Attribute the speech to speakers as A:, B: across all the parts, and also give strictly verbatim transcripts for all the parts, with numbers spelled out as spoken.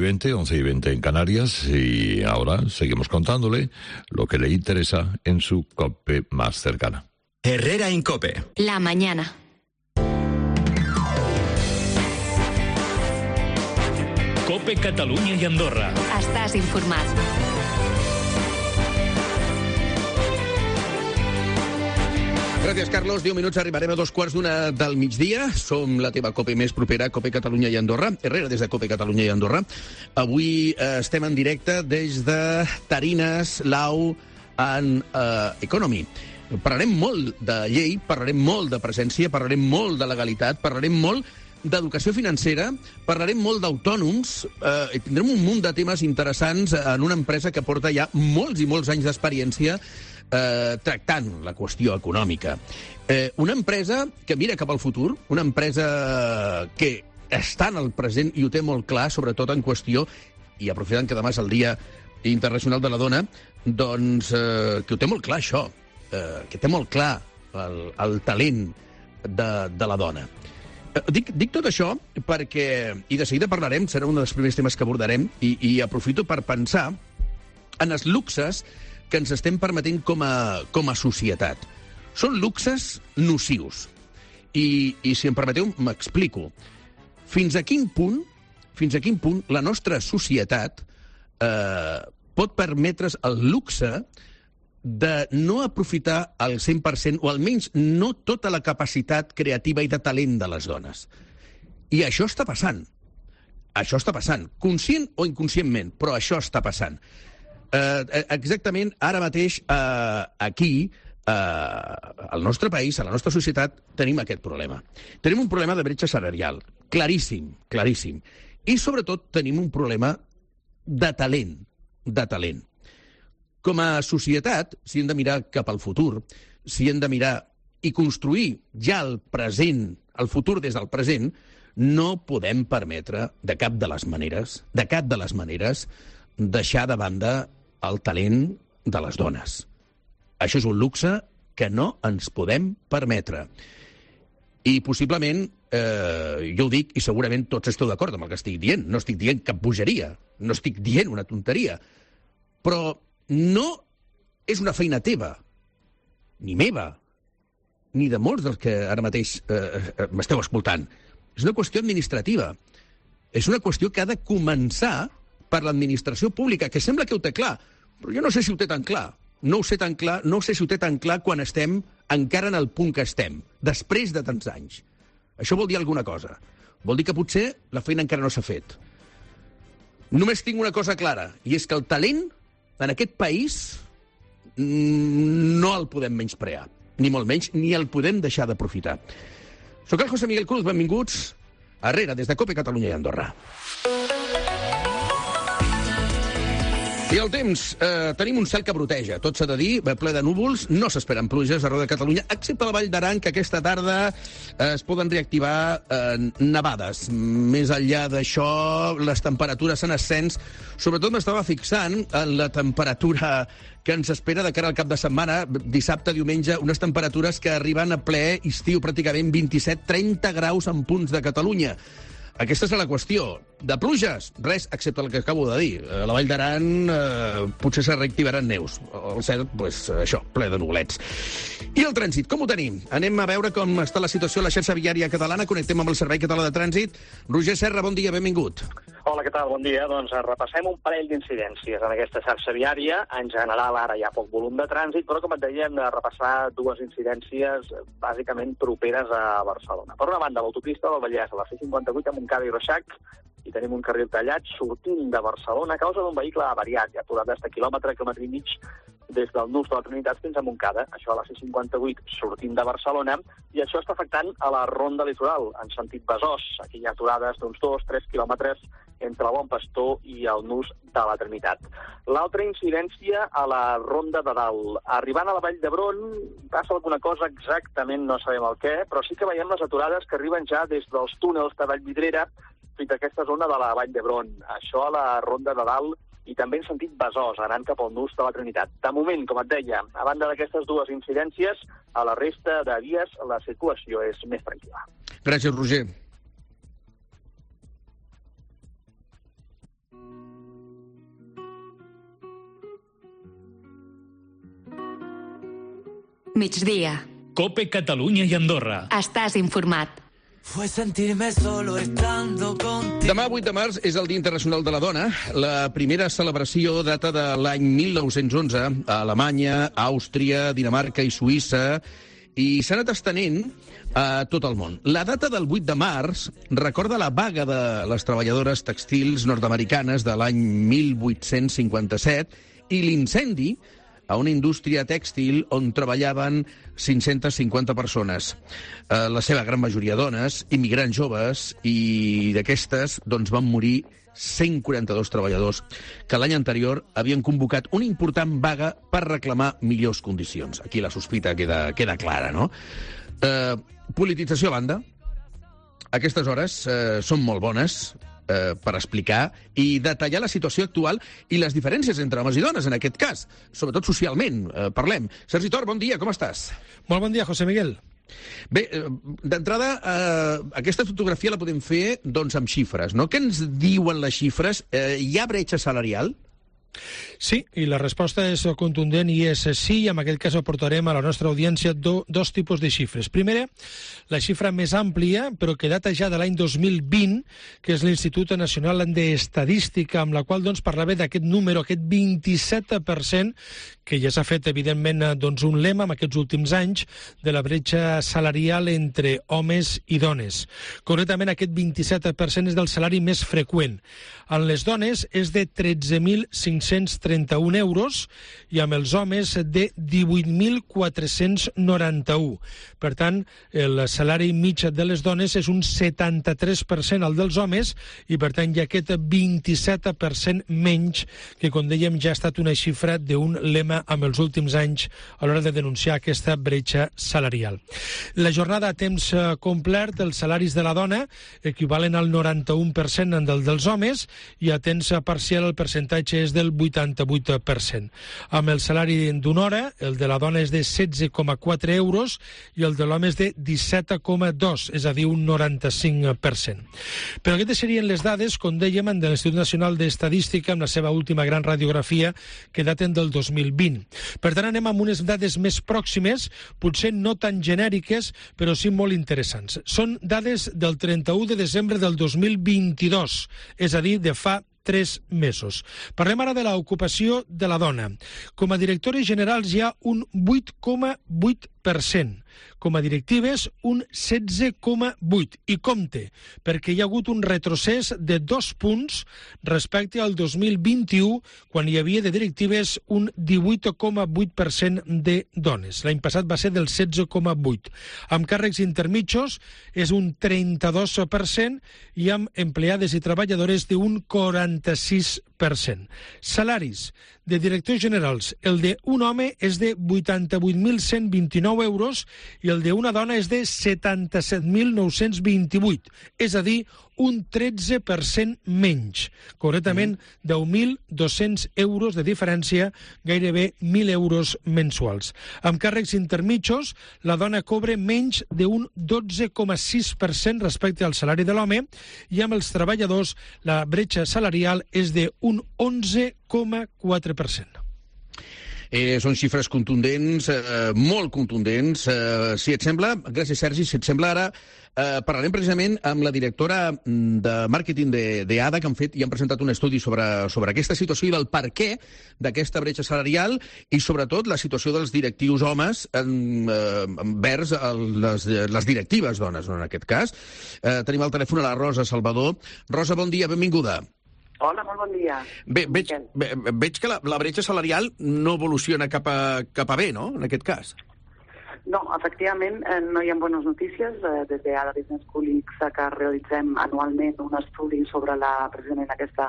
A: veinte, once y veinte en Canarias, y ahora seguimos contándole lo que le interesa en su COPE más cercana.
B: Herrera Incope.
C: La mañana.
D: COPE Catalunya i Andorra.
C: Estàs informat.
E: Gràcies, Carlos. Deu minuts, arribarem a dos quarts d'una del migdia. Som la teva COPE més propera, COPE Catalunya i Andorra. Herrera des de COPE Catalunya i Andorra. Avui eh, estem en directe des de Tarines, Lau, en uh, Economy. Parlarem molt de llei, parlarem molt de presència, parlarem molt de legalitat, parlarem molt d'educació financera, parlarem molt d'autònoms, eh, tindrem un munt de temes interessants en una empresa que porta ja molts i molts anys d'experiència Eh, tractant la qüestió econòmica. Eh, una empresa que mira cap al futur, una empresa que està en el present i ho té molt clar, sobretot en qüestió, i aprofitant que demà és el Dia Internacional de la Dona, doncs eh, que ho té molt clar això, eh, que té molt clar el, el talent de, de la dona. Eh, dic, dic tot això perquè, i de seguida parlarem, serà un dels primers temes que abordarem, i, i aprofito per pensar en els luxes que ens estem permetent com a, com a societat. Són luxes nocius. I, i si em permeteu, m'explico. Fins a quin punt, fins a quin punt la nostra societat eh, pot permetre's el luxe de no aprofitar al cent per cent, o almenys no tota la capacitat creativa i de talent de les dones. I això està passant. Això està passant. Conscient o inconscientment, però això està passant. Uh, exactament, ara mateix, uh, aquí, uh, al nostre país, a la nostra societat, tenim aquest problema. Tenim un problema de bretxa salarial, claríssim, claríssim. I, sobretot, tenim un problema de talent, de talent. Com a societat, si hem de mirar cap al futur, si hem de mirar i construir ja el present, el futur des del present, no podem permetre, de cap de les maneres, de cap de les maneres, deixar de banda el talent de les dones. Això és un luxe que no ens podem permetre. I possiblement, eh, jo ho dic, i segurament tots esteu d'acord amb el que estic dient, no estic dient cap bogeria, no estic dient una tonteria, però no és una feina teva, ni meva, ni de molts dels que ara mateix eh, m'esteu escoltant. És una qüestió administrativa. És una qüestió que ha de començar per l'administració pública, que sembla que ho té clar, però jo no sé si ho té tan clar. No ho sé tan clar, no sé si ho té tan clar quan estem encara en el punt que estem, després de tants anys. Això vol dir alguna cosa. Vol dir que potser la feina encara no s'ha fet. Només tinc una cosa clara, i és que el talent en aquest país no el podem menysprear, ni molt menys, ni el podem deixar d'aprofitar. Soc el José Miguel Cruz, benvinguts a Herrera, des de COPE Catalunya i Andorra. I el temps, eh, tenim un cel que broteja, tot s'ha de dir, ple de núvols, no s'esperen pluges arreu de Catalunya, excepte a la Vall d'Aran, que aquesta tarda eh, es poden reactivar eh, nevades. Més enllà d'això, les temperatures en ascens. Sobretot m'estava fixant en la temperatura que ens espera de cara al cap de setmana, dissabte, diumenge, unes temperatures que arriben a ple estiu, pràcticament vint-i-set trenta graus en punts de Catalunya. Aquesta és la qüestió. De pluges, res, excepte el que acabo de dir. A la Vall d'Aran eh, potser se reactivaran neus. El cel, pues, això, ple de nuvolets. I el trànsit, com ho tenim? Anem a veure com està la situació a la xarxa viària catalana. Connectem amb el Servei Català de Trànsit. Roger Serra, bon dia, benvingut.
F: Hola, què tal? Bon dia. Doncs repassem un parell d'incidències en aquesta xarxa viària. En general, ara hi ha poc volum de trànsit, però, com et deia, hem de repassar dues incidències bàsicament properes a Barcelona. Per una banda, l'autopista del Vallès, a la C cinquanta-vuit, a Montcada i Reixac, i tenim un carril tallat sortint de Barcelona a causa d'un vehicle avariat, ja aturat d'este quilòmetre, quilòmetre i mig, des del nus de la Trinitat fins a Montcada, això a la C cinquanta-vuit sortint de Barcelona, i això està afectant a la Ronda Litoral, en sentit Besòs. Aquí hi ha aturades d'uns dos tres quilòmetres entre el Bon Pastor i el nus de la Trinitat. L'altra incidència a la Ronda de Dalt. Arribant a la Vall d'Hebron passa alguna cosa, exactament no sabem el què, però sí que veiem les aturades que arriben ja des dels túnels de Vallvidrera fins a aquesta zona de la Vall d'Hebron. Això a la Ronda de Dalt i també en sentit Besòs, anant cap al nus de la Trinitat. De moment, com et deia, a banda d'aquestes dues incidències, a la resta de vies la circulació és més tranquil·la.
E: Gràcies, Roger.
C: Migdia.
D: Cope Catalunya i Andorra.
C: Estàs informat.
B: Fue sentirme solo estando contigo.
E: Demà, vuit de març, és el Dia Internacional de la Dona. La primera celebració data de l'any mil nou-cents onze a Alemanya, Àustria, Dinamarca i Suïssa, i s'ha anat estenent a tot el món. La data del vuit de març recorda la vaga de les treballadores textils nord-americanes de l'any mil vuit-cents cinquanta-set i l'incendi a una indústria tèxtil on treballaven cinc-centes cinquanta persones. Eh, la seva gran majoria dones, immigrants joves, i d'aquestes doncs, van morir cent quaranta-dos treballadors que l'any anterior havien convocat una important vaga per reclamar millors condicions. Aquí la sospita queda, queda clara, no? Eh, politització a banda, aquestes hores eh, són molt bones eh, per explicar i detallar la situació actual i les diferències entre homes i dones, en aquest cas, sobretot socialment, eh, parlem. Sergi Tor, bon dia, com estàs?
G: Molt bon dia, José Miguel.
E: Bé, eh, d'entrada, eh, aquesta fotografia la podem fer doncs, amb xifres, no? Què ens diuen les xifres? Eh, hi ha bretxa salarial?
G: Sí, i la resposta és contundent i és sí, i en aquest cas aportarem a la nostra audiència do, dos tipus de xifres. Primera, la xifra més àmplia, però que data ja de l'any dos mil vint, que és l'Institut Nacional d'Estadística, amb la qual doncs, parlava d'aquest número, aquest vint-i-set per cent, que ja s'ha fet, evidentment, doncs, un lema en aquests últims anys de la bretxa salarial entre homes i dones. Concretament, aquest vint-i-set per cent és del salari més freqüent. En les dones és de tretze mil cinc-cents trenta-un euros i amb els homes de divuit mil quatre-cents noranta-un. Per tant, el salari mitjà de les dones és un setanta-tres per cent al dels homes i, per tant, hi ha aquest vint-i-set per cent menys que, com dèiem, ja ha estat una xifra d'un lema amb els últims anys a l'hora de denunciar aquesta bretxa salarial. La jornada a temps complet, els salaris de la dona equivalen al noranta-un per cent del dels homes i a temps parcial el percentatge és del vuitanta-vuit per cent. Amb el salari d'una hora, el de la dona és de setze coma quatre euros i el de l'home és de disset coma dos, és a dir, un noranta-cinc per cent. Però aquestes serien les dades, com dèiem, de l'Institut Nacional d'Estadística amb la seva última gran radiografia que daten del dos mil vint. Per tant, anem amb unes dades més pròximes, potser no tan genèriques, però sí molt interessants. Són dades del trenta-u de desembre del dos mil vint-i-dos, és a dir, de fa tres mesos. Parlem ara de l'ocupació de la dona. Com a directores generals hi ha un vuit coma vuit per cent. Com a directives, un setze coma vuit. I compte, perquè hi ha hagut un retrocés de dos punts respecte al dos mil vint-i-u, quan hi havia de directives un divuit coma vuit per cent de dones. L'any passat va ser del setze coma vuit. Amb càrrecs intermitjos és un trenta-dos per cent i amb empleades i treballadores d'un quaranta-sis per cent. Salaris de directors generals. El d'un home és de vuitanta-vuit mil cent vint-i-nou euros i el d'una dona és de setanta-set mil nou-cents vint-i-vuit, és a dir, un tretze per cent menys. Concretament, deu mil dos-cents euros de diferència, gairebé mil euros mensuals. Amb càrrecs intermitjos, la dona cobra menys d'un dotze coma sis per cent respecte al salari de l'home i amb els treballadors la bretxa salarial és d'un onze coma quatre per cent.
E: Eh, són xifres contundents, eh, molt contundents. Eh, si et sembla, gràcies Sergi, si et sembla ara, eh, parlarem precisament amb la directora de màrqueting d'A D A, que han fet i han presentat un estudi sobre, sobre aquesta situació i del per què d'aquesta bretxa salarial i sobretot la situació dels directius homes en, eh, envers el, les, les directives dones, no, en aquest cas. Eh, tenim al telèfon a la Rosa Salvador. Rosa, bon dia, benvinguda.
H: Hola, molt bon dia.
E: Bé, veig, ve, veig que la, la bretxa salarial no evoluciona cap a, cap a bé, no?, en aquest cas.
H: No, efectivament, eh, no hi ha bones notícies. Eh, des de A D A Business School que realitzem anualment un estudi sobre la, precisament aquesta,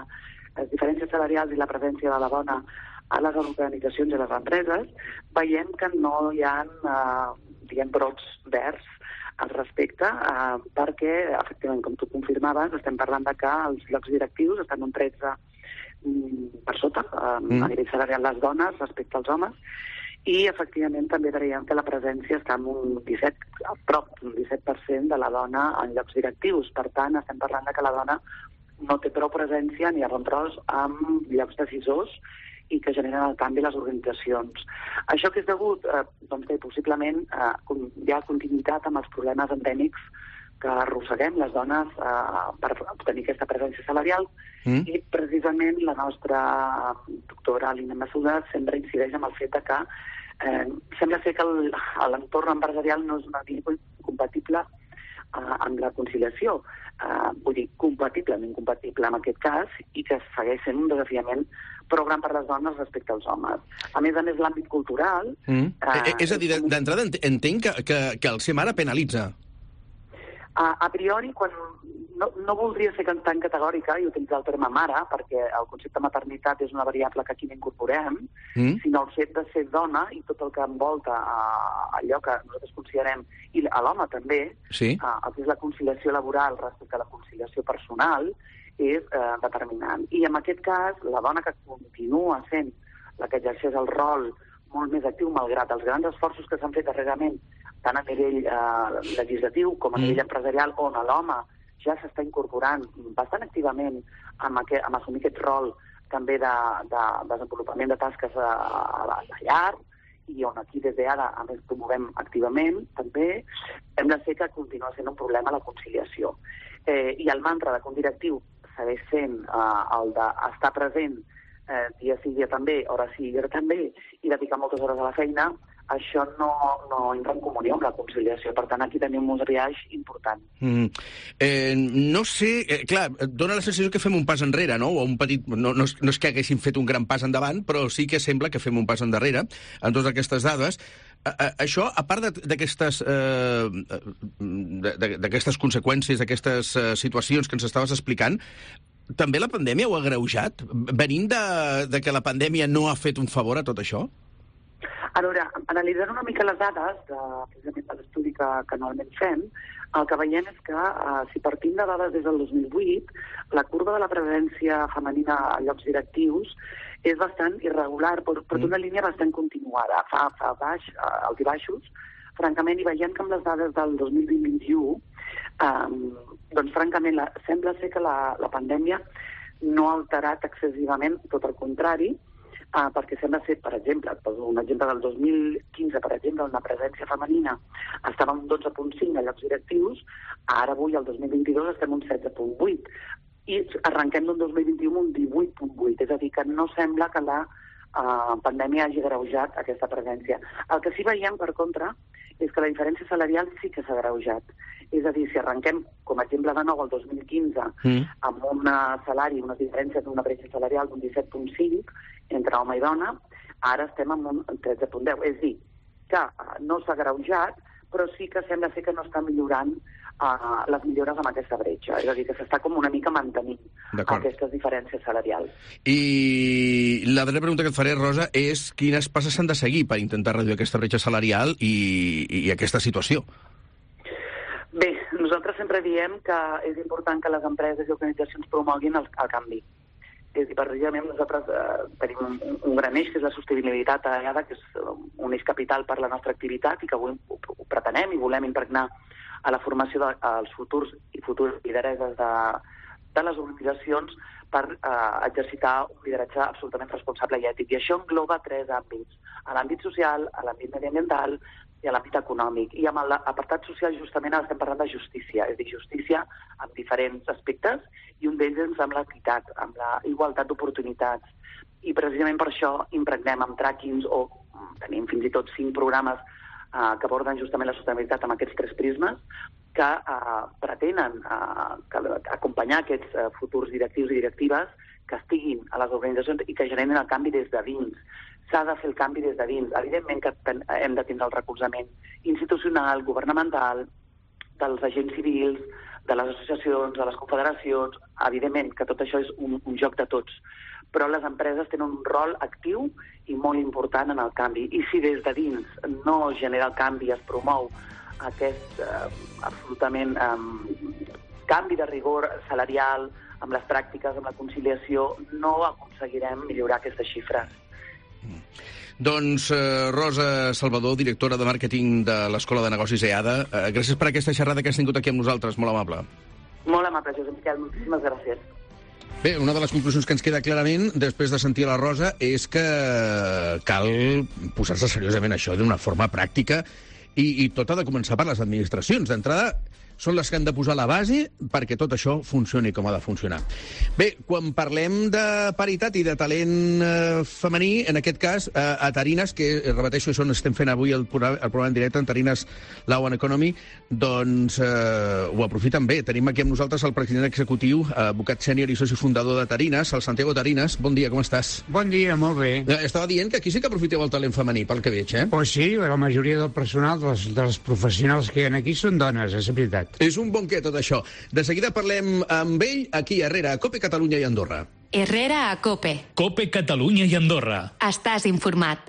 H: les diferències salarials i la presència de la dona a les organitzacions i les empreses, veiem que no hi ha, eh, diguem, brots verds al respecte, eh, perquè, efectivament, com tu confirmaves, estem parlant de que els llocs directius estan un tretze per sota, eh, mm. a nivell salarial les dones respecte als homes, i, efectivament, també veiem que la presència està en un disset, a prop d'un disset per cent de la dona en llocs directius. Per tant, estem parlant de que la dona no té prou presència ni a bon tros amb llocs decisors i que generen el canvi a les organitzacions. Això que és degut, eh, doncs bé, possiblement eh, hi ha continuïtat amb els problemes endèmics que arrosseguem les dones eh, per obtenir aquesta presència salarial mm. i precisament la nostra doctora Alina Massuda sempre incideix en el fet de que eh, sembla ser que l'entorn empresarial no és una via compatible eh, amb la conciliació. Eh, vull dir, compatible, no incompatible en aquest cas, i que segueix sent un desafiament prou gran per les dones respecte als homes. A més a més, l'àmbit cultural...
E: Mm. Eh, és a dir, d'entrada entenc que, que, que el ser mare penalitza.
H: A, a priori, quan no, no voldria ser tan categòrica i utilitzar el terme mare, perquè el concepte maternitat és una variable que aquí n'incorporem, mm. sinó el fet de ser dona i tot el que envolta a, allò que nosaltres considerem, i a l'home també, sí. a, el que és la conciliació laboral respecte a la conciliació personal, és eh, determinant. I en aquest cas, la dona que continua sent la que exerceix el rol molt més actiu, malgrat els grans esforços que s'han fet darrerament, tant a nivell eh, legislatiu com a nivell mm. empresarial, on l'home ja s'està incorporant bastant activament amb, aquest, amb assumir aquest rol també de, de desenvolupament de tasques a, a, la, a la llar, i on aquí des d'ara, a més, promovem activament, també, hem de ser que continua sent un problema la conciliació. Eh, I el mantra de que un directiu segueix sent eh, el d'estar present eh, dia sí, dia també, hora sí, hora també, i dedicar moltes hores a la feina, això no, no entra en comunió amb la conciliació. Per tant, aquí tenim un biaix important.
E: Mm. Eh, no sé... Eh, clar, dona la sensació que fem un pas enrere, no? O un petit... No, no, és, no és que haguéssim fet un gran pas endavant, però sí que sembla que fem un pas endarrere en totes aquestes dades. A, a, això, a part d'aquestes eh, d'aquestes conseqüències, d'aquestes eh, situacions que ens estaves explicant, també la pandèmia ho ha agreujat? Venint de, de que la pandèmia no ha fet un favor a tot això?
H: A veure, analitzant una mica les dades, de, precisament de l'estudi que, que normalment fem, el que veiem és que eh, si partim de dades des del dos mil vuit, la curva de la presència femenina a llocs directius és bastant irregular, però, però d'una línia bastant continuada, fa, fa baix, eh, alts i baixos. Francament, i veiem que amb les dades del dos mil vint vint u, eh, doncs francament la, sembla ser que la, la pandèmia no ha alterat excessivament, tot el contrari, Uh, perquè sembla ser, per exemple, un exemple del dos mil quinze, per exemple, on la presència femenina estava un dotze coma cinc a llocs directius, ara avui, el dos mil vint-i-dos, estem un setze coma vuit. I arrenquem d'un dos mil vint-i-u un divuit coma vuit, és a dir, que no sembla que la uh, pandèmia hagi agreujat aquesta presència. El que sí veiem, per contra, és que la diferència salarial sí que s'ha agreujat. És a dir, si arrenquem, com a exemple de nou, el dos mil quinze, mm. amb un salari, una diferència d'una bretxa salarial d'un disset coma cinc entre home i dona, ara estem en un tretze coma deu. És a dir, que no s'ha agreujat, però sí que sembla ser que no està millorant uh, les millores amb aquesta bretxa. És a dir, que s'està com una mica mantenint aquestes diferències salarials.
E: I la darrera pregunta que et faré, Rosa, és quines passes s'han de seguir per intentar reduir aquesta bretxa salarial i, i aquesta situació?
H: Bé, nosaltres sempre diem que és important que les empreses i organitzacions promoguin el, el canvi. És a dir, precisament nosaltres eh, tenim un, un gran eix, que és la sostenibilitat allà, que és un eix capital per la nostra activitat i que avui ho, ho pretenem i volem impregnar a la formació dels de, futurs i futures lidereses de, de les organitzacions per eh, exercitar un lideratge absolutament responsable i ètic. I això engloba tres àmbits: a l'àmbit social, a l'àmbit mediambiental i a l'àmbit econòmic. I amb l'apartat social justament estem parlant de justícia, és a dir, justícia amb diferents aspectes, i un d'ells és amb l'equitat, amb la igualtat d'oportunitats. I precisament per això impregnem amb trackings, o tenim fins i tot cinc programes eh, que aborden justament la sostenibilitat amb aquests tres prismes, que eh, pretenen eh, que, acompanyar aquests eh, futurs directius i directives que estiguin a les organitzacions i que generen el canvi des de dins. S'ha de fer el canvi des de dins. Evidentment que hem de tindre el recolzament institucional, governamental, dels agents civils, de les associacions, de les confederacions. Evidentment que tot això és un, un joc de tots. Però les empreses tenen un rol actiu i molt important en el canvi. I si des de dins no genera el canvi i es promou aquest eh, absolutament eh, canvi de rigor salarial amb les pràctiques, amb la conciliació, no aconseguirem millorar aquestes xifres.
E: Doncs eh, Rosa Salvador, directora de màrqueting de l'Escola de Negocis EADA, eh, gràcies per aquesta xerrada que has tingut aquí amb nosaltres, molt amable.
H: Molt amable, Josep Miquel, moltíssimes gràcies.
E: Bé, una de les conclusions que ens queda clarament, després de sentir la Rosa, és que cal posar-se seriosament això d'una forma pràctica i, i tot ha de començar per les administracions. D'entrada, són les que han de posar la base perquè tot això funcioni com ha de funcionar. Bé, quan parlem de paritat i de talent eh, femení, en aquest cas, eh, a Tarines, que repeteixo, això on estem fent avui el programa, el programa en directe, en Tarines Law and Economy, doncs eh, ho aprofiten bé. Tenim aquí amb nosaltres el president executiu, advocat sènior i soci fundador de Tarines, el Santiago Tarines. Bon dia, com estàs?
I: Bon dia, molt bé.
E: Eh, estava dient que aquí sí que aprofiteu el talent femení, pel que veig, eh?
I: Pues sí, la majoria del personal, dels, dels professionals que hi ha aquí, són dones, és veritat.
E: És un bon què, tot això. De seguida parlem amb ell, aquí a Herrera, a COPE Catalunya i Andorra.
C: Herrera a COPE.
D: COPE Catalunya i Andorra.
C: Estàs informat.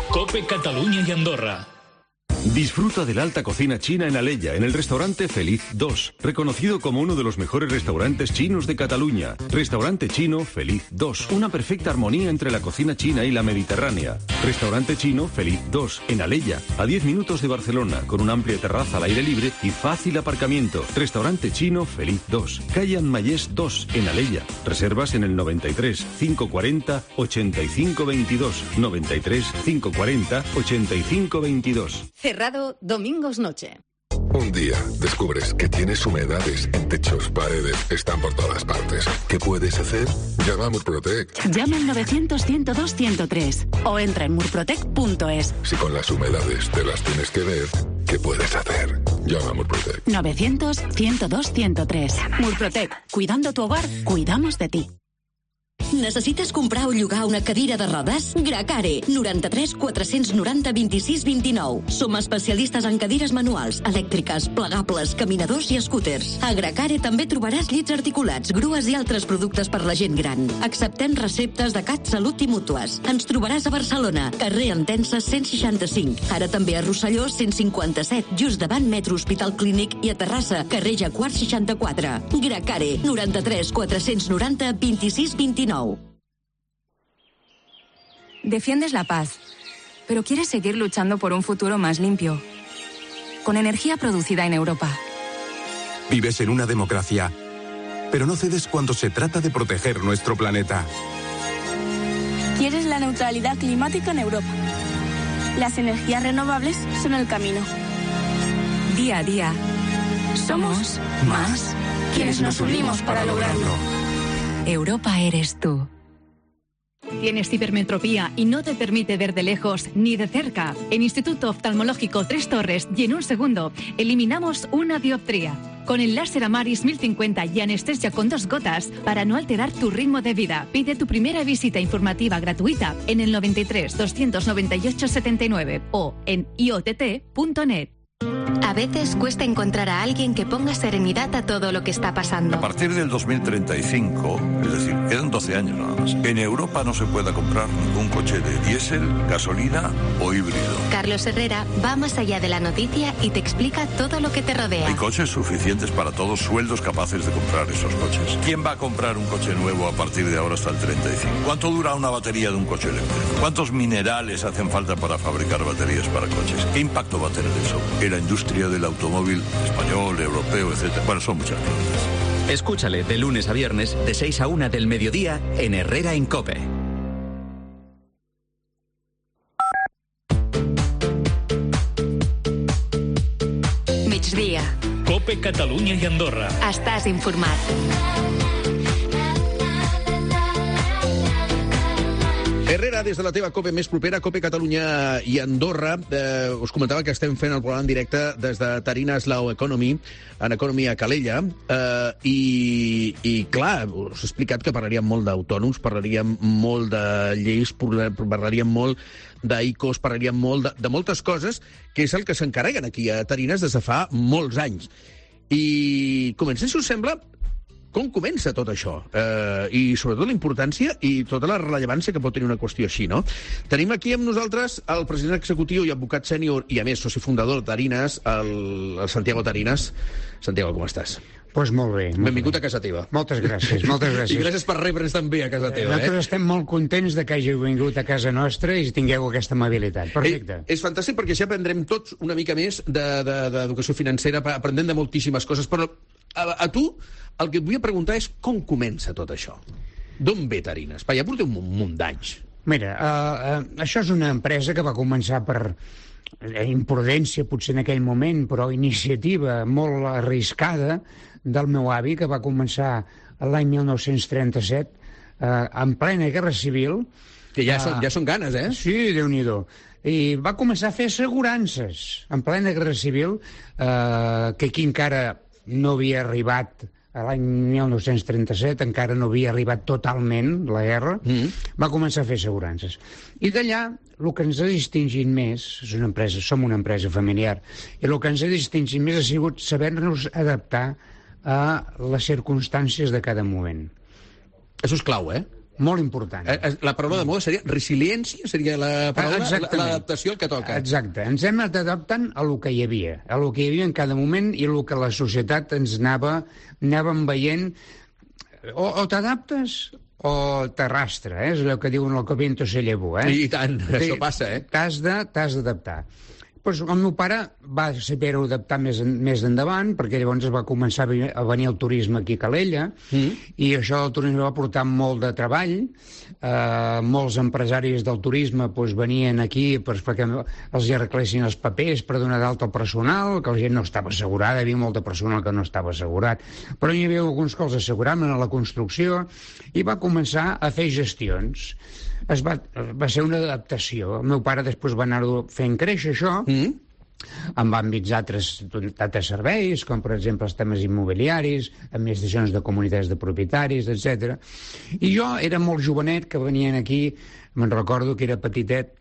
D: COPE Catalunya y Andorra.
J: Disfruta de la alta cocina china en Alella, en el restaurante Feliz dos, reconocido como uno de los mejores restaurantes chinos de Cataluña. Restaurante chino Feliz dos, una perfecta armonía entre la cocina china y la mediterránea. Restaurante chino Feliz dos, en Alella, a diez minutos de Barcelona, con una amplia terraza al aire libre y fácil aparcamiento. Restaurante chino Feliz dos, calle Anmayés dos, en Alella. Reservas en el noventa y tres, cinco cuarenta, ochenta y cinco veintidós, noventa y tres, cinco cuarenta, ochenta y cinco veintidós.
K: Cerrado domingos noche.
L: Un día descubres que tienes humedades en techos, paredes, están por todas partes. ¿Qué puedes hacer? Llama a Murprotec.
M: Llama al novecientos, ciento dos, ciento tres o entra en murprotec punto es.
L: Si con las humedades te las tienes que ver, ¿qué puedes hacer? Llama a Murprotec.
M: novecientos, ciento dos, ciento tres. Murprotec. Cuidando tu hogar, cuidamos de ti.
K: Necessites comprar o llogar una cadira de rodes? Gracare, noranta-tres quatre-cents noranta vint-i-sis vint-i-nou. Som especialistes en cadires manuals, elèctriques, plegables, caminadors i scooters. A Gracare també trobaràs llits articulats, grues i altres productes per la gent gran. Acceptem receptes de CatSalut i mútues. Ens trobaràs a Barcelona, carrer Entença cent seixanta-cinc. Ara també a Rosselló cent cinquanta-set, just davant Metro Hospital Clínic, i a Terrassa, carrer Jacquard seixanta-quatre. Gracare, noranta-tres quatre-cents noranta vint-i-sis vint-i-nou.
N: Defiendes la paz, pero quieres seguir luchando por un futuro más limpio. Con energía producida en Europa.
O: Vives en una democracia, pero no cedes cuando se trata de proteger nuestro planeta.
P: Quieres la neutralidad climática en Europa. Las energías renovables son el camino.
N: Día a día, somos más quienes nos unimos para lograrlo. Europa eres tú.
Q: ¿Tienes hipermetropía y no te permite ver de lejos ni de cerca? En Instituto Oftalmológico Tres Torres y en un segundo eliminamos una dioptría. Con el láser Amaris mil cincuenta y anestesia con dos gotas para no alterar tu ritmo de vida. Pide tu primera visita informativa gratuita en el noventa y tres, doscientos noventa y ocho, setenta y nueve o en i o t t punto net.
C: A veces cuesta encontrar a alguien que ponga serenidad a todo lo que está pasando.
R: A partir del dos mil treinta y cinco, es decir, quedan doce años nada más, en Europa no se pueda comprar ningún coche de diésel, gasolina o híbrido.
C: Carlos Herrera va más allá de la noticia y te explica todo lo que te rodea.
R: Hay coches suficientes para todos, sueldos capaces de comprar esos coches. ¿Quién va a comprar un coche nuevo a partir de ahora hasta el treinta y cinco? ¿Cuánto dura una batería de un coche eléctrico? ¿Cuántos minerales hacen falta para fabricar baterías para coches? ¿Qué impacto va a tener eso en la industria del automóvil español, europeo, etcétera? Bueno, son muchas preguntas.
S: Escúchale de lunes a viernes de seis a una del mediodía en Herrera en COPE.
C: Migdia.
D: COPE Catalunya i Andorra.
C: Estàs informat.
E: Herrera, des de la teva COPE més propera, COPE Catalunya i Andorra, eh, us comentava que estem fent el programa en directe des de Tarines Law Economy, en Economy a Calella, eh, i, i clar, us he explicat que parlaríem molt d'autònoms, parlaríem molt de lleis, parlaríem molt d'I C O S, parlaríem molt de, de moltes coses, que és el que s'encarreguen aquí a Tarines des de fa molts anys. I comencem, si us sembla, com comença tot això? Eh, I sobretot la importància i tota la rellevància que pot tenir una qüestió així, no? Tenim aquí amb nosaltres el president executiu i advocat sènior i, a més, soci fundador de Tarines, el, el Santiago Tarines. Santiago, com estàs?
I: Doncs pues molt bé. Molt
E: Benvingut
I: bé.
E: a casa teva.
I: Moltes gràcies, moltes gràcies.
E: I gràcies per rebre'ns també a casa teva.
I: Nosaltres
E: eh?
I: estem molt contents de que hàgiu vingut a casa nostra i tingueu aquesta amabilitat. Perfecte.
E: Eh, és fantàstic perquè així aprendrem tots una mica més d'educació de, de, financera, aprendem de moltíssimes coses, però a, a tu el que et vull preguntar és com comença tot això? D'on ve Tarines? Ja porteu un munt d'anys.
I: Mira, uh, uh, això és una empresa que va començar per imprudència, potser en aquell moment, però iniciativa molt arriscada del meu avi, que va començar l'any mil nou-cents trenta-set, eh, en plena Guerra Civil.
E: Que ja, uh, són, ja són ganes, eh?
I: Sí, Déu-n'hi-do. I va començar a fer assegurances en plena Guerra Civil, eh, que aquí encara no havia arribat, a l'any mil nou-cents trenta-set, encara no havia arribat totalment la guerra, mm. va començar a fer assegurances. I d'allà, el que ens ha distingit més, és una empresa, som una empresa familiar, i el que ens ha distingit més ha sigut saber-nos adaptar a les circumstàncies de cada moment.
E: Això és clau, eh?
I: Molt important.
E: La paraula de moda seria resiliència, seria la paraula, l'adaptació al que toca.
I: Exacte. Ens hem anat adaptant a lo que hi havia, a lo que hi havia en cada moment i a lo que la societat ens anava, anàvem veient. O, o t'adaptes o t'arrastra, eh? És el que diuen el que viento se llevó, eh?
E: I tant, això passa, eh?
I: T'has de, t'has d'adaptar. Pues el meu pare va saber-ho adaptar més, en, més endavant, perquè llavors va començar a venir el turisme aquí a Calella, mm. i això del turisme va portar molt de treball. Eh, molts empresaris del turisme pues, venien aquí pues, perquè els arreglessin els papers per donar d'alta al personal, que la gent no estava assegurada, hi havia molta personal que no estava assegurat. Però hi havia alguns que els asseguraven a la construcció, i va començar a fer gestions. Es va, va ser una adaptació. El meu pare després va anar-ho fent créixer, això, mm. amb àmbits d'altres serveis, com per exemple els temes immobiliaris, administracions de comunitats de propietaris, etcètera. I jo era molt jovenet, que venien aquí, me'n recordo que era petitet,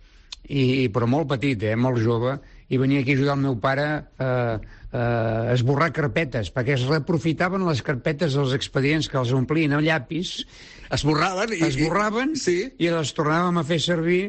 I: i, però molt petit, eh, molt jove, i venia aquí a ajudar el meu pare a eh, eh, esborrar carpetes, perquè es reprofitaven les carpetes dels expedients que els omplien a llapis,
E: esborraven, i,
I: esborraven i, sí. i les tornàvem a fer servir,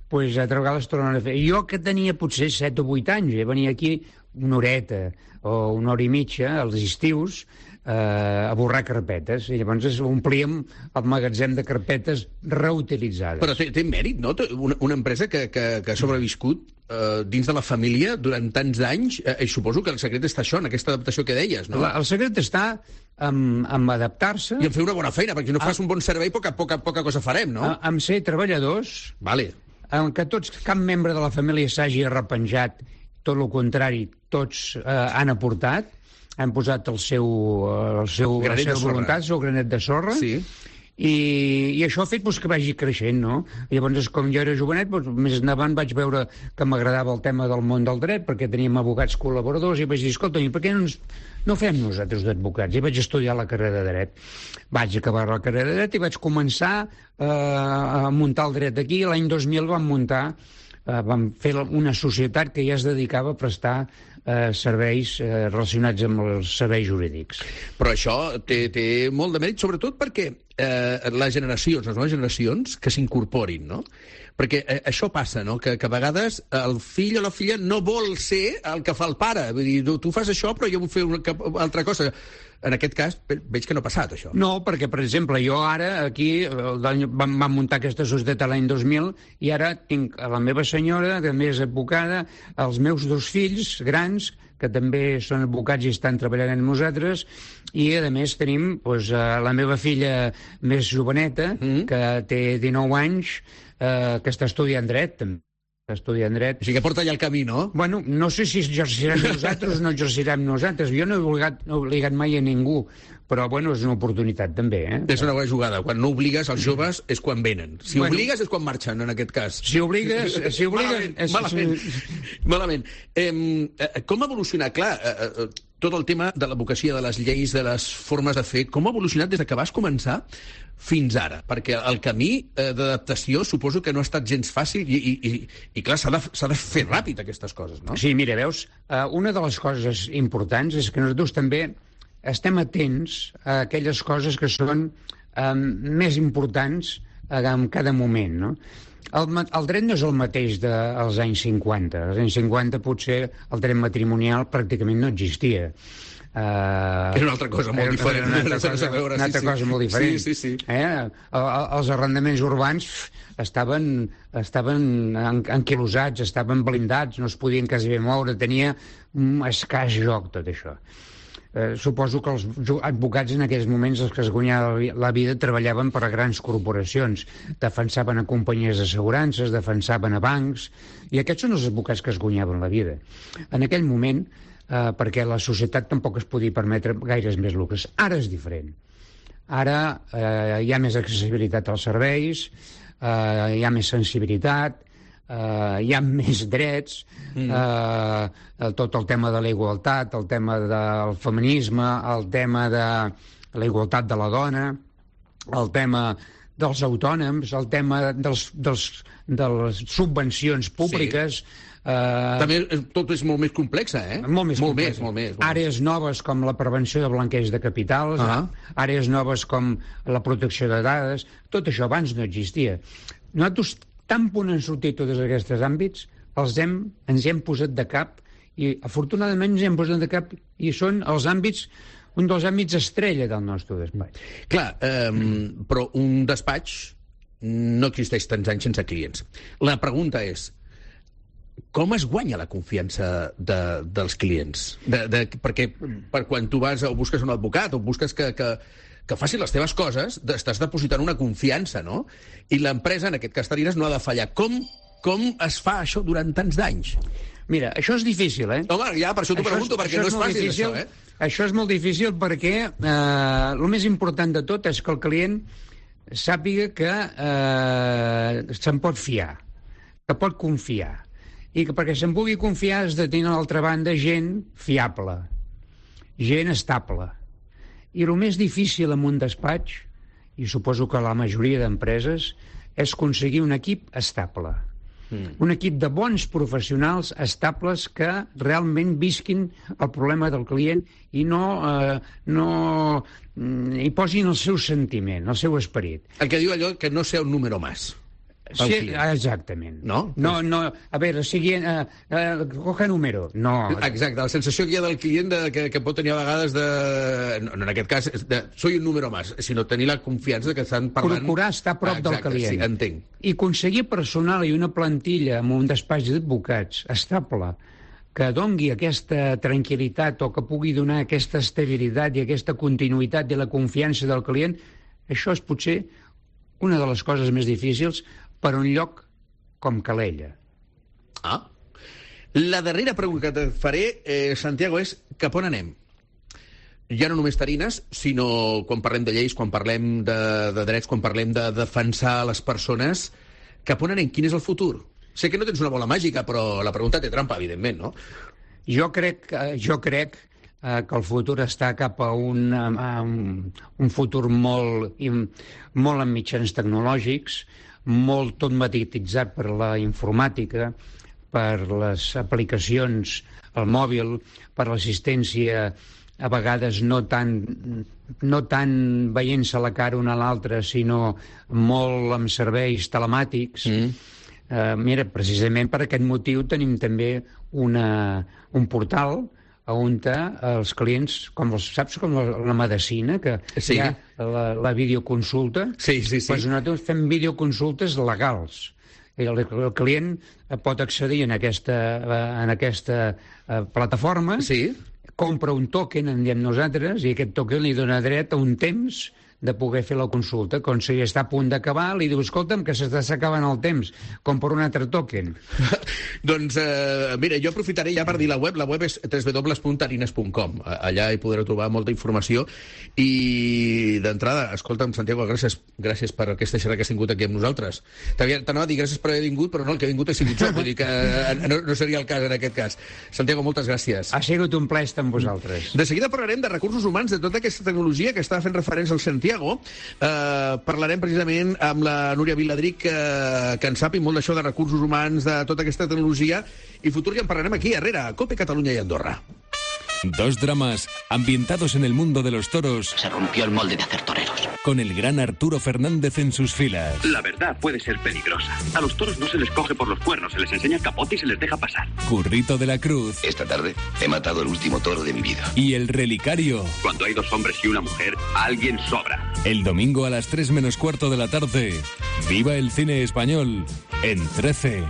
I: pues, altra vegada les tornaven a fer. I jo, que tenia potser set o vuit anys, eh, venia aquí una horeta o una hora i mitja, als estius, eh, a borrar carpetes, i llavors omplíem el magatzem de carpetes reutilitzades.
E: Però té, té mèrit, no? Una, una empresa que, que, que ha sobreviscut eh, dins de la família durant tants anys, eh, i suposo que el secret està això, en aquesta adaptació que deies, no?
I: La, el secret està en, en adaptar-se...
E: I en fer una bona feina, perquè si no fas un bon servei, poca, poca, poca cosa farem, no?
I: A, en ser treballadors,
E: vale.
I: En què tots, cap membre de la família s'hagi arrepenjat, tot el contrari, tots eh, han aportat, han posat el seu, el seu, la seva voluntat, el seu granet de sorra,
E: sí.
I: i, i això ha fet pues, que vagi creixent, no? Llavors, com jo era jovenet, pues, més endavant vaig veure que m'agradava el tema del món del dret, perquè teníem advocats col·laboradors, i vaig dir, escolta, per què no, ens, no fem nosaltres d'advocats? I vaig estudiar la carrera de dret. Vaig acabar la carrera de dret i vaig començar eh, a muntar el dret aquí. L'any dos mil vam muntar, eh, vam fer una societat que ja es dedicava a prestar Eh, serveis eh, relacionats amb els serveis jurídics.
E: Però això té, té molt de mèrit, sobretot perquè eh, les generacions, les noves generacions, que s'incorporin, no? Perquè eh, això passa, no? Que, que a vegades el fill o la filla no vol ser el que fa el pare. Vull dir, tu, tu fas això, però jo vull fer una altra cosa. En aquest cas, veig que no ha passat, això.
I: No, perquè, per exemple, jo ara, aquí, vam, vam muntar aquesta societat l'any dos mil, i ara tinc a la meva senyora, que també és advocada, els meus dos fills grans, que també són advocats i estan treballant amb nosaltres, i, a més, tenim doncs, la meva filla més joveneta, mm. que té dinou anys, eh, que està estudiant dret, també. Estudiant dret.
E: O sigui que porta allà el camí, no?
I: Bueno, no sé si exercirem nosaltres o no exercirem nosaltres. Jo no he obligat, no he obligat mai a ningú, però, bueno, és una oportunitat també, eh?
E: És una bona jugada. Quan no obligues els joves és quan venen. Si bueno, obligues és quan marxen, en aquest cas.
I: Si obligues... Si obligues
E: malament, és... malament. malament. Eh, com ha evolucionat? Clar, eh, tot el tema de l'advocacia, de les lleis, de les formes de fer, com ha evolucionat des que vas començar fins ara? Perquè el camí eh, d'adaptació suposo que no ha estat gens fàcil i, i, i, i clar, s'ha de, s'ha de fer ràpid aquestes coses, no?
I: Sí, mira, veus, eh, una de les coses importants és que nosaltres també estem atents a aquelles coses que són eh, més importants eh, en cada moment, no? El, el dret no és el mateix dels anys cinquanta. Als anys cinquanta potser el dret matrimonial pràcticament no existia.
E: Uh, era una altra cosa molt diferent.
I: Una altra cosa, veure, una altra sí, cosa sí. molt diferent.
E: Sí, sí, sí.
I: Eh? Els arrendaments urbans estaven, estaven anquilosats, estaven blindats, no es podien quasi bé moure, tenia un escàs joc tot això. Eh, suposo que els advocats en aquells moments, els que es guanyaven la vida, treballaven per a grans corporacions, defensaven a companyies d'assegurances, defensaven a bancs, i aquests són els advocats que es guanyaven la vida. En aquell moment, eh, perquè la societat tampoc es podia permetre gaires més luxes. Ara és diferent. Ara eh, hi ha més accessibilitat als serveis, eh, hi ha més sensibilitat, Uh, hi ha més drets, mm. uh, tot el tema de la igualtat, el tema del feminisme, el tema de la igualtat de la dona, el tema dels autònoms, el tema dels, dels, de les subvencions públiques.
E: Sí. Uh, També tot és molt més complex, eh?
I: Molt més
E: molt
I: complex.
E: Més, molt més, molt
I: àrees noves com la prevenció de blanqueig de capitals, uh -huh. àrees noves com la protecció de dades, tot això abans no existia. Nosaltres tan punt han sortit tots aquests àmbits, els hem, ens hi hem posat de cap, i afortunadament ens hi hem posat de cap, i són els àmbits, un dels àmbits estrella del nostre despatx.
E: Clar, eh, però un despatx no existeix tants anys sense clients. La pregunta és, com es guanya la confiança de, dels clients? De, de, perquè per quan tu vas o busques un advocat o busques que... que que faci les teves coses, estàs depositant una confiança, no? I l'empresa, en aquest cas Tarines, no ha de fallar. Com, com es fa això durant tants d'anys?
I: Mira, això és difícil, eh?
E: Home, ja, per això t'ho pregunto, perquè no és fàcil,
I: difícil,
E: això, eh?
I: Això és molt difícil perquè eh, el més important de tot és que el client sàpiga que eh, se'n pot fiar, que pot confiar, i que perquè se'n pugui confiar has de tenir a l'altra banda gent fiable, gent estable. I el més difícil en un despatx, i suposo que la majoria d'empreses, és aconseguir un equip estable. Mm. Un equip de bons professionals estables que realment visquin el problema del client i no, eh, no hi posin el seu sentiment, el seu esperit.
E: El que diu allò que no sea un número más.
I: Sí, exactament.
E: No?
I: No, no, a veure, sigui... Uh, uh, coja número. No.
E: Exacte, la sensació que hi ha del client de, que, que pot tenir a vegades de... No, en aquest cas, de soy un número más, sinó tenir la confiança de que estan parlant...
I: Procurar estar a prop
E: ah,
I: exacte, del client.
E: Sí, entenc.
I: I aconseguir personal i una plantilla amb un despatx d'advocats estable que dongui aquesta tranquil·litat o que pugui donar aquesta estabilitat i aquesta continuïtat i la confiança del client, això és potser una de les coses més difícils per un lloc com Calella.
E: Ah. La darrera pregunta que et faré, eh, Santiago, és cap on anem? Ja no només Tarines, sinó quan parlem de lleis, quan parlem de, de drets, quan parlem de defensar les persones, cap on anem? Quin és el futur? Sé que no tens una bola màgica, però la pregunta té trampa, evidentment, no?
I: Jo crec, jo crec eh, que el futur està cap a un, a un, un futur molt, molt amb mitjans tecnològics, molt tot magnetitzat per la informàtica, per les aplicacions al mòbil, per l'assistència a vegades no tan, no tan veient-se la cara una a l'altra, sinó molt amb serveis telemàtics. Mm. Uh, mira, precisament per aquest motiu tenim també una, un portal on els clients, com els, saps, com la, la medicina, que sí. Hi ha la, la videoconsulta,
E: sí, sí, sí.
I: Doncs nosaltres fem videoconsultes legals. I el, el client pot accedir en aquesta, en aquesta uh, plataforma,
E: sí.
I: Compra un token, en diem nosaltres, i aquest token li dona dret a un temps de poder fer la consulta. Quan si està a punt d'acabar, li diu, escolta'm, que s'està acabant el temps, com per un altre token.
E: Doncs, eh, mira, jo aprofitaré ja per dir la web. La web és w w w punt tarines punt com. Allà hi podreu trobar molta informació. I, d'entrada, escolta'm, Santiago, gràcies, gràcies per aquesta xerrada que has tingut aquí amb nosaltres. T'anava a dir gràcies per haver vingut, però no, el que ha vingut ha sigut jo. Vull dir que no, no seria el cas en aquest cas. Santiago, moltes gràcies.
I: Ha sigut un plaer estar amb vosaltres.
E: De seguida parlarem de recursos humans, de tota aquesta tecnologia que està fent referència al Santiago. Eh, parlarem precisament amb la Núria Viladric, que, que en sap molt d'això de recursos humans, de tota aquesta tecnologia, i futur ja en parlarem aquí, darrere, a COPE Catalunya i Andorra.
T: Dos dramas ambientados en el mundo de los toros.
U: Se rompió el molde de hacer toreros.
T: Con el gran Arturo Fernández en sus filas.
V: La verdad puede ser peligrosa. A los toros no se les coge por los cuernos, se les enseña el capote y se les deja pasar.
T: Currito de la Cruz.
U: Esta tarde he matado el último toro de mi vida.
T: Y el relicario.
V: Cuando hay dos hombres y una mujer, alguien sobra.
T: El domingo a las tres menos cuarto de la tarde. Viva el cine español en trece.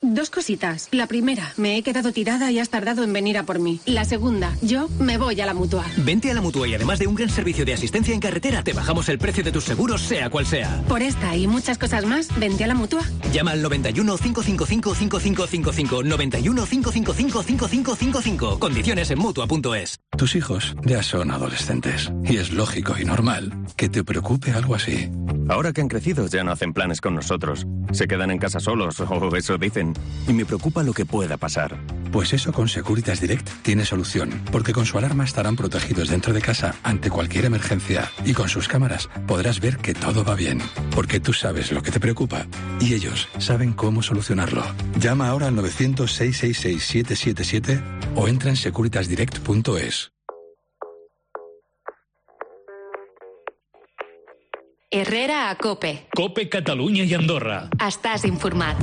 A: Dos cositas. La primera, me he quedado tirada y has tardado en venir a por mí. La segunda, yo me voy a la Mutua.
F: Vente a la Mutua y además de un gran servicio de asistencia en carretera, te bajamos el precio de tus seguros, sea cual sea.
A: Por esta y muchas cosas más, vente a la Mutua.
F: Llama al noventa y uno, cinco cinco cinco, cinco cinco cinco cinco, noventa y uno, cinco cinco cinco, cinco cinco cinco cinco. Condiciones en Mutua punto es.
W: Tus hijos ya son adolescentes y es lógico y normal que te preocupe algo así.
X: Ahora que han crecido ya no hacen planes con nosotros. Se quedan en casa solos, o eso dicen. Y me preocupa lo que pueda pasar.
W: Pues eso con Securitas Direct tiene solución, porque con su alarma estarán protegidos dentro de casa ante cualquier emergencia y con sus cámaras podrás ver que todo va bien, porque tú sabes lo que te preocupa y ellos saben cómo solucionarlo. Llama ahora al novecientos, seiscientos sesenta y seis, siete siete siete o entra en securitas direct punto es.
C: Herrera a Cope.
D: Cope Catalunya i Andorra.
C: Estàs informat.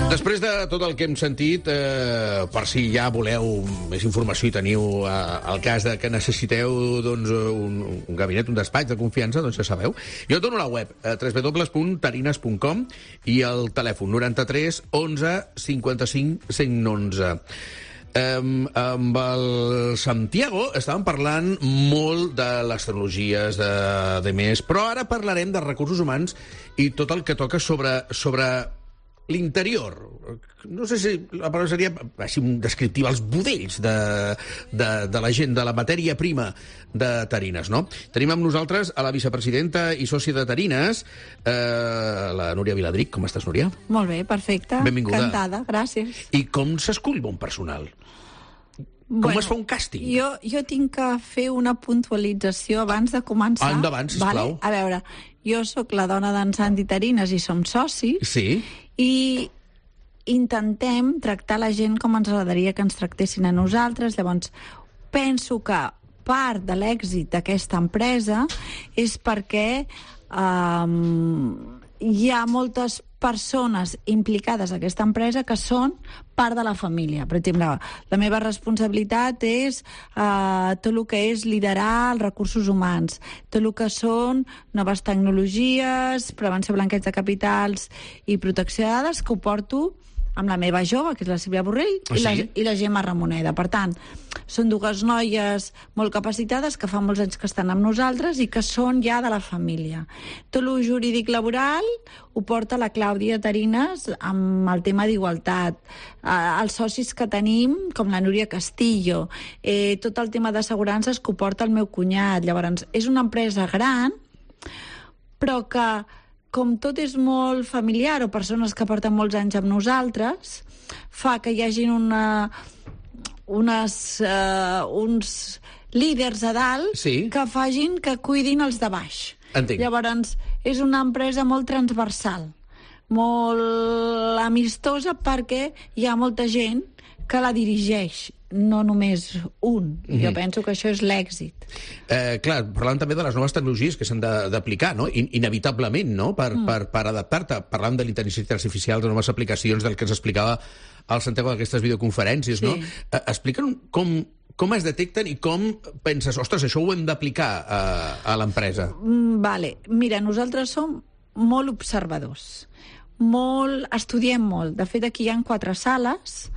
E: Després de tot el que hem sentit, eh, per si ja voleu més informació i teniu eh, el cas de que necessiteu doncs, un, un gabinet, un despatx de confiança, doncs ja sabeu. Jo dono la web, eh, w w w punt tarines punt com i el telèfon noranta-tres onze cinquanta-cinc cent onze. Um, amb el Santiago estàvem parlant molt de les tecnologies de, de més, però ara parlarem de recursos humans i tot el que toca sobre, sobre l'interior. No sé si la paraula seria així descriptiva, els budells de, de, de la gent, de la matèria prima de Tarines, no? Tenim amb nosaltres a la vicepresidenta i sòcia de Tarines, eh, la Núria Viladric. Com estàs, Núria?
Y: Molt bé, perfecte.
E: Benvinguda.
Y: Encantada, gràcies.
E: I com s'escull bon personal? Com
Y: Bueno,
E: es fa un càsting?
Y: Jo, jo tinc que fer una puntualització abans de començar.
E: Ah, endavant, sisplau.
Y: Vale? A veure, jo sóc la dona d'en Santi Tarines i som socis.
E: Sí.
Y: I intentem tractar la gent com ens agradaria que ens tractessin a nosaltres. Llavors, penso que part de l'èxit d'aquesta empresa és perquè um, hi ha moltes persones implicades a aquesta empresa que són part de la família. Per exemple, la meva responsabilitat és eh, tot el que és liderar els recursos humans, tot el que són noves tecnologies, prevenció blanqueig de capitals i protecció de dades, que ho porto amb la meva jove, que és la Sílvia Borrell,
E: Ah,
Y: i, la,
E: sí?
Y: i la Gemma Ramoneda. Per tant, són dues noies molt capacitades que fa molts anys que estan amb nosaltres i que són ja de la família. Tot el jurídic laboral ho porta la Clàudia Tarines amb el tema d'igualtat. Eh, els socis que tenim, com la Núria Castillo, eh, tot el tema d'assegurances que ho porta el meu cunyat. Llavors, és una empresa gran, però que com tot és molt familiar o persones que porten molts anys amb nosaltres, fa que hi hagin una, unes, uh, uns líders a dalt
E: sí.
Y: que facin que cuidin els de baix.
E: Entenc.
Y: Llavors, és una empresa molt transversal, molt amistosa, perquè hi ha molta gent que la dirigeix, no només un. Mm-hmm. Jo penso que això és l'èxit.
E: Eh, clar, parlant també de les noves tecnologies que s'han d'aplicar, no? In inevitablement, no? Per, mm. per, per adaptar-te. Parlant de l'intel·ligència artificial, de noves aplicacions, del que ens explicava el Santiago d'aquestes videoconferències, sí. no? Eh, Explica'm com, com es detecten i com penses, ostres, això ho hem d'aplicar a, a l'empresa.
Y: Mm, vale. Mira, nosaltres som molt observadors. Molt, estudiem molt. De fet, aquí hi ha quatre sales.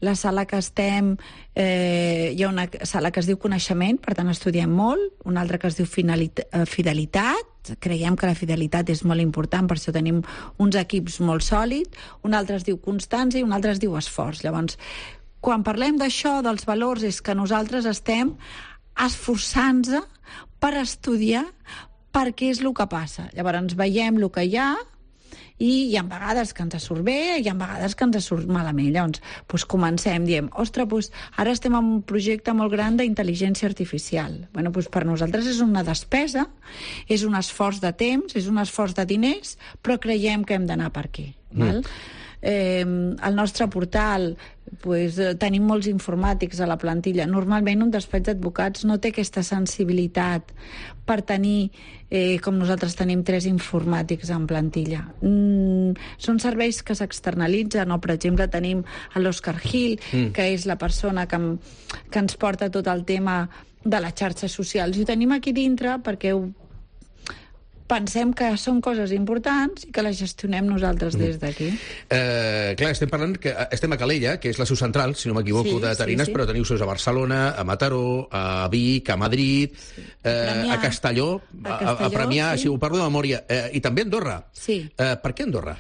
Y: La sala que estem, eh, hi ha una sala que es diu coneixement, per tant estudiem molt, una altra que es diu fidelitat, creiem que la fidelitat és molt important, per això tenim uns equips molt sòlids, una altra es diu constància i una altra es diu esforç. Llavors, quan parlem d'això, dels valors, és que nosaltres estem esforçant-nos per estudiar per què és el que passa. Llavors, veiem el que hi ha, i hi ha vegades que ens surt bé, hi ha vegades que ens surt malament. Llavors, doncs comencem, diem, ostres, doncs ara estem en un projecte molt gran d'intel·ligència artificial. Bueno, doncs per nosaltres és una despesa, és un esforç de temps, és un esforç de diners, però creiem que hem d'anar per aquí. Mm. Val? Eh, el nostre portal pues, eh, tenim molts informàtics a la plantilla. Normalment un despatx d'advocats no té aquesta sensibilitat per tenir, eh, com nosaltres tenim, tres informàtics en plantilla. Mm, són serveis que s'externalitzen, o per exemple tenim a l'Òscar Gil, mm. que és la persona que, que ens porta tot el tema de les xarxes socials. I ho tenim aquí dintre perquè ho pensem que són coses importants i que les gestionem nosaltres des d'aquí.
E: Eh, clar, estem parlant que estem a Calella, que és la seu central, si no m'equivoco,
Y: Sí,
E: de Tarines,
Y: sí, sí.
E: però teniu seus a Barcelona, a Mataró, a Vic, a Madrid, eh,
Y: Premià.
E: a Castelló,
Y: A
E: a, a
Y: Castelló,
E: Premià,
Y: sí.
E: si ho parlo de memòria, eh, i també a Andorra.
Y: Sí.
E: Eh, per què Andorra?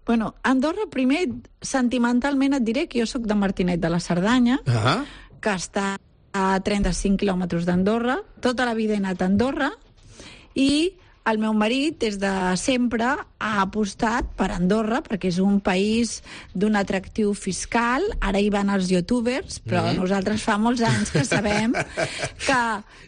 Y: Bueno, Andorra, primer, sentimentalment et diré que jo sóc de Martinet de la Cerdanya,
E: Ah,
Y: que està a trenta-cinc quilòmetres d'Andorra. Tota la vida he anat a Andorra i el meu marit, des de sempre, ha apostat per Andorra, perquè és un país d'un atractiu fiscal. Ara hi van els youtubers, però
B: Mhm.
Y: nosaltres fa molts anys que sabem que,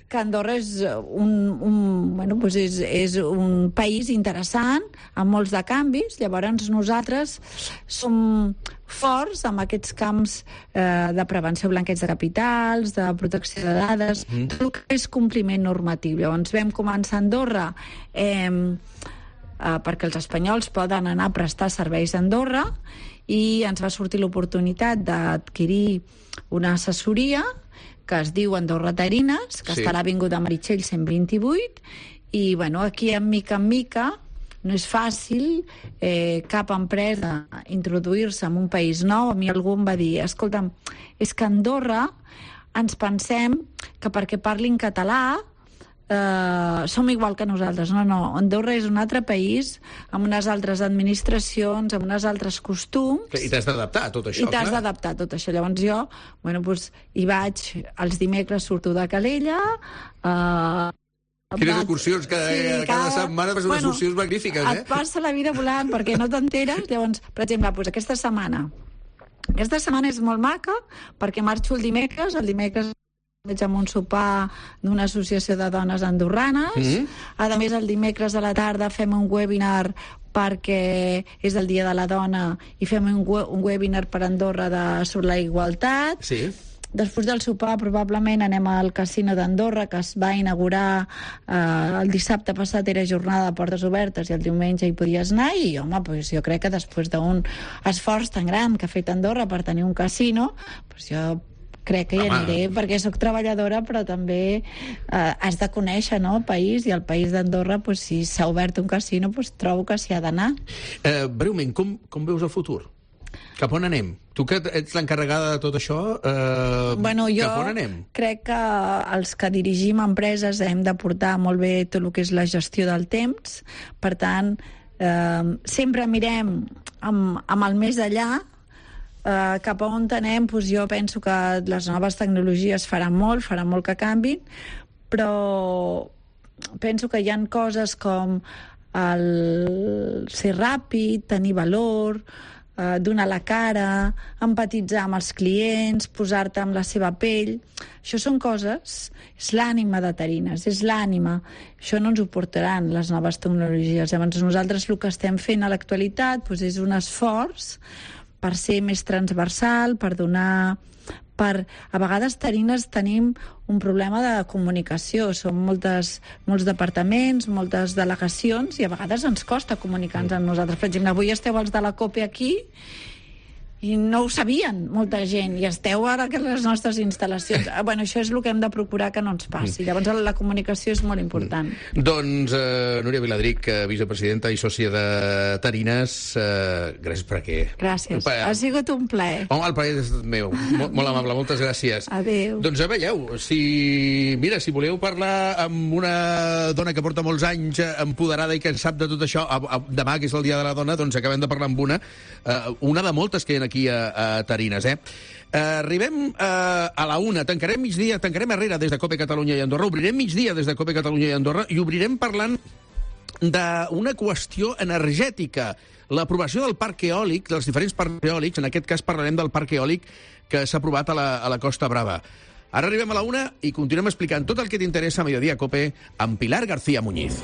Y: que Andorra és un, un, bueno, doncs és, és un país interessant, amb molts de canvis. Llavors nosaltres som forts amb aquests camps eh, de prevenció, blanqueig de capitals, de protecció de dades, mm. tot el que és compliment normatiu. Llavors vam començar a Andorra eh, eh, perquè els espanyols poden anar a prestar serveis a Andorra, i ens va sortir l'oportunitat d'adquirir una assessoria que es diu Andorra Tarines, que
B: Sí.
Y: està a l'Avinguda Meritxell cent vint-i-vuit, i bueno, aquí en mica en mica no és fàcil eh, cap empresa introduir-se en un país nou. A mi algú em va dir, escolta'm, és que a Andorra ens pensem que perquè parlin català eh, som igual que nosaltres. No, no, Andorra és un altre país, amb unes altres administracions, amb uns altres costums.
E: I t'has d'adaptar a tot això,
Y: I t'has
E: clar.
Y: d'adaptar a tot això. Llavors jo, bueno, doncs, hi vaig, els dimecres surto de Calella, eh,
E: Quines excursions, cada,
Y: Sí,
E: cada, cada setmana fas unes
Y: bueno,
E: excursions magnífiques, eh?
Y: et passa la vida volant perquè no t'enteres. Llavors, per exemple, doncs aquesta setmana aquesta setmana és molt maca perquè marxo el dimecres, el dimecres vaig a un sopar d'una associació de dones andorranes.
B: Mhm.
Y: A més, el dimecres a la tarda fem un webinar perquè és el Dia de la Dona, i fem un, we un webinar per Andorra de, sobre la igualtat.
E: Sí.
Y: Després del sopar probablement anem al Casino d'Andorra, que es va inaugurar eh, el dissabte passat, era jornada de portes obertes, i el diumenge hi podies anar, i home, pues, jo crec que després d'un esforç tan gran que ha fet Andorra per tenir un casino, pues, jo crec que hi
E: Home.
Y: aniré, perquè sóc treballadora, però també eh, has de conèixer, no?, el país, i el país d'Andorra, pues, si s'ha obert un casino, pues, trobo que s'hi ha d'anar.
E: Eh, breument, com, com veus el futur? Cap on anem? Tu que ets l'encarregada de tot això, eh,
Y: Bueno, jo
E: cap on anem?
Y: crec que els que dirigim empreses hem de portar molt bé tot el que és la gestió del temps. Per tant, eh, sempre mirem amb, amb el més allà, eh, cap a on anem. Doncs jo penso que les noves tecnologies faran molt, faran molt que canvin, però penso que hi ha coses com el ser ràpid, tenir valor, eh, donar la cara, empatitzar amb els clients, posar-te amb la seva pell. Això són coses, és l'ànima de Tarines, és l'ànima. Això no ens ho portaran les noves tecnologies. Llavors nosaltres el que estem fent a l'actualitat doncs és un esforç per ser més transversal, per donar... Per, a vegades Tarines tenim un problema de comunicació, són moltes, molts departaments, moltes delegacions, i a vegades ens costa comunicar-nos amb nosaltres. Per exemple, avui esteu els de la COPE aquí i no ho sabien molta gent, i esteu ara a les nostres instal·lacions. Bueno, això és el que hem de procurar que no ens passi. Llavors la comunicació és molt important.
E: Doncs eh, Núria Viladric, eh, vicepresidenta i sòcia de Tarines, eh, gràcies per aquí.
Y: Gràcies,
E: Pa-
Y: ha sigut un plaer.
E: Home, el plaer és meu. Molt, molt amable, moltes gràcies.
Y: Adéu.
E: Doncs ja veieu, si, mira, si voleu parlar amb una dona que porta molts anys eh, empoderada i que en sap de tot això, a, a, demà, que és el Dia de la Dona, doncs acabem de parlar amb una, eh, una de moltes que hi ha aquí a, a Tarines, eh? Eh, arribem eh, a la una, tancarem migdia, tancarem Herrera des de COPE Catalunya i Andorra, obrirem migdia des de COPE Catalunya i Andorra, i obrirem parlant d'una qüestió energètica, l'aprovació del parc eòlic, dels diferents parcs eòlics. En aquest cas parlarem del parc eòlic que s'ha aprovat a la, a la Costa Brava. Ara arribem a la una i continuem explicant tot el que t'interessa a Mediodía Cope amb Pilar García Muñiz.